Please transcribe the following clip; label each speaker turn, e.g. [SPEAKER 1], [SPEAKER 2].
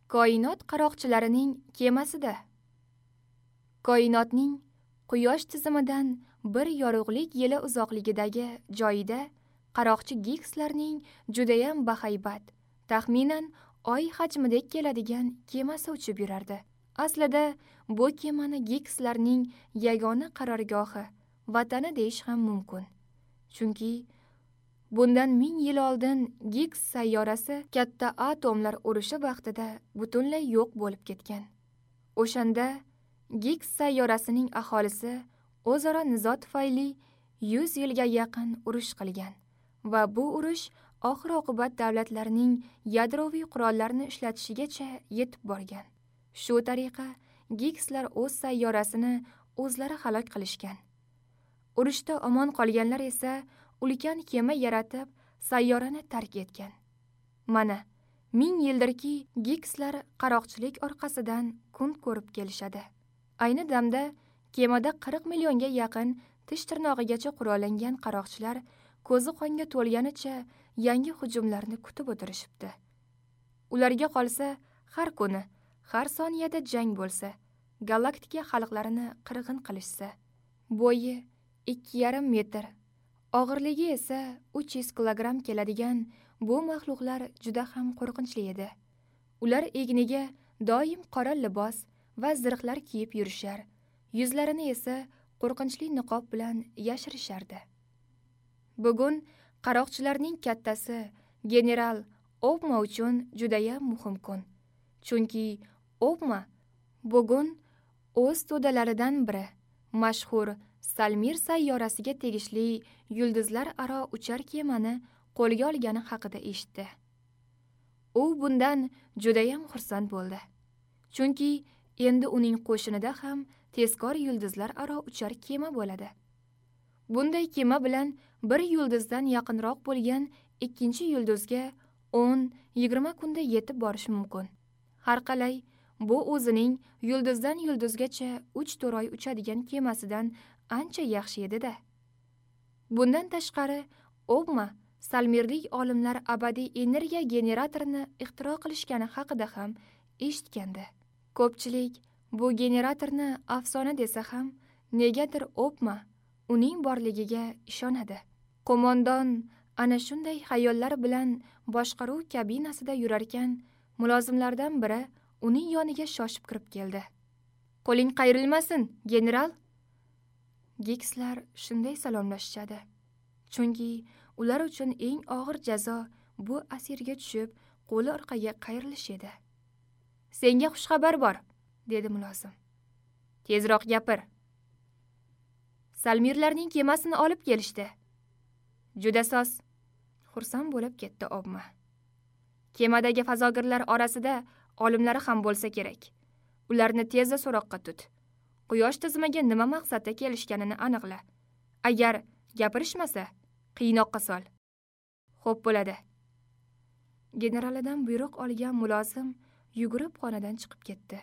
[SPEAKER 1] Koinot qaroqchilarining kemasida. Koinotning Quyosh tizimidan bir yorug'lik yili uzoqligidagi joyida qaroqchi Gigslarning judayam bahaybat, taxminan Oy hajmidek keladigan kemasi uchib yurardi. Aslida bu kemani Gigslarning yagona qarorgohi, vatani deyish ham mumkin. Chunki bundan 1000 yil oldin Gigs sayyorasi katta atomlar urushi vaqtida butunlay yo'q bo'lib ketgan. O'shanda Gigs sayyorasining aholisi o'zaro nizo tufayli 100 yilga yaqin urush qilgan va bu urush oxir-oqibat davlatlarning yadroviy qurollarni ishlatishigacha yetib borgan. Shu tariqa Gigslar o'z sayyorasini o'zlari halok qilishgan. Urushda omon qolganlar esa ulkan kema yaratib sayyorani tark etgan. Mana 1000 yildirki Gigslar qaroqchilik orqasidan kun ko'rib kelishadi. Ayni damda kemada 40 millionga yaqin tish tirnog'igacha qurollangan qaroqchilar ko'zi qonga to'lganicha yangi hujumlarni kutib o'tirishibdi. Ularga qolsa har kuni, har soniyada jang bo'lsa, galaktika xalqlarini qirg'in qilishsa, bo'yi 2,5 metr, og'irligi esa 300 kilogramm keladigan bu maxluqlar juda ham qo'rqinchli edi. Ular egniga doim qora libos va zirhlar kiyib yurishar, yuzlarini esa qo'rqinchli niqob bilan yashirishardi. Bugun qaroqchilarning kattasi general Obma uchun judayam muhim kun. Chunki Obma bugun o'z to'dalaridan biri, mashhur Salmir sayyorasiga tegishli yulduzlar aro uchar kemani qo'lga olgani haqida eshitdi. U bundan judayam xursand bo'ldi. Chunki endi uning qo'shinida ham tezkor yulduzlar aro uchar kema bo'ladi. Bunday kema bilan bir yulduzdan yaqinroq bo'lgan ikkinchi yulduzga 10-20 kunda yetib borish mumkin. Har qalay, bu o'zining yulduzdan yulduzgacha 3-4 oy uchadigan kemasidan ancha yaxshi edi-da. Bundan tashqari, Obma Salmirlik olimlar abadiy energiya generatorini ixtiro qilishgani haqida ham eshitgandi. Ko'pchilik bu generatorni afsona desa ham, negadir Obma uning borligiga ishonadi. Qo'mondon ana shunday xayollar bilan boshqaruv kabinasida yurarkan, mulozimlardan biri uning yoniga shoshib kirib keldi. "Qo'ling qayrilmasin, general." Gigslar shunday salomlashishadi. Chunki ular uchun eng og'ir jazo bu asirga tushib, qo'li orqaga qayrilish edi. "Senga xushxabar bor", dedi mulozim. "Tezroq gapir." "Salmirlarning kemasini olib kelishdi." "Juda soz." Xursand bo'lib ketdi Obma. "Kemadagi fazogirlar orasida olimlari ham bo'lsa kerak. Ularni tezda so'roqqa tut. Quyosh tizimiga nima maqsadda kelishganini aniqla. Agar gapirishmasa, qiynoqqa sol." "Xo'p bo'ladi." Generalidan buyruq olgan mulozim yugurib xonadan chiqib ketdi.